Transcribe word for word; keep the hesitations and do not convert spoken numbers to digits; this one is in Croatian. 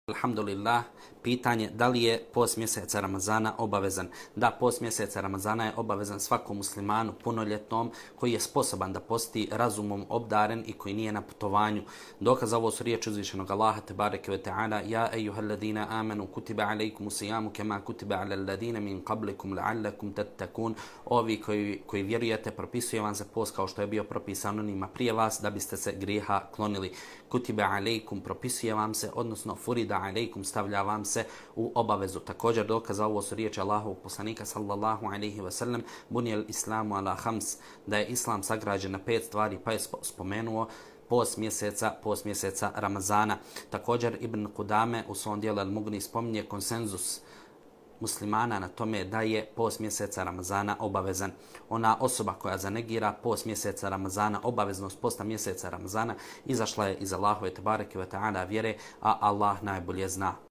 Alhamdulillah, pitanje da li je post mjeseca Ramazana obavezan? Da, post mjeseca Ramazana je obavezan svakom muslimanu punoljetnom koji je sposoban da posti, razumom obdaren i koji nije na putovanju. Dokaz za ovo su riječi uzvišenog Allaha tebareke ve ta'ala: Ja ejuhalladina amanu kutiba alejkumu sijamu kema kutiba alal ladina min qablikum la'allakum tattaqun. Ovi koji, koji vjerujete, propisuje vam se post kao što je bio propisan onima prije vas da biste se grijeha klonili. Kutiba alejkum, propisuje vam se, odnosno furida alejkum, stavlja vam se u obavezu. Također dokaz za ovo su riječi Allahovog poslanika sallallahu alejhi ve sellem: Buniyal islamu ala khams, da je islam sagrađen na pet stvari, pa je spomenuo post mjeseca, post mjeseca Ramazana. Također Ibn Kudame u svom dijelu Al-Mughni spominje konsenzus muslimana na tome da je post mjeseca Ramazana obavezan. Ona osoba koja zanegira post mjeseca Ramazana, obaveznost posta mjeseca Ramazana, izašla je iz Allahove tebareke ve ta'ala vjere, a Allah najbolje zna.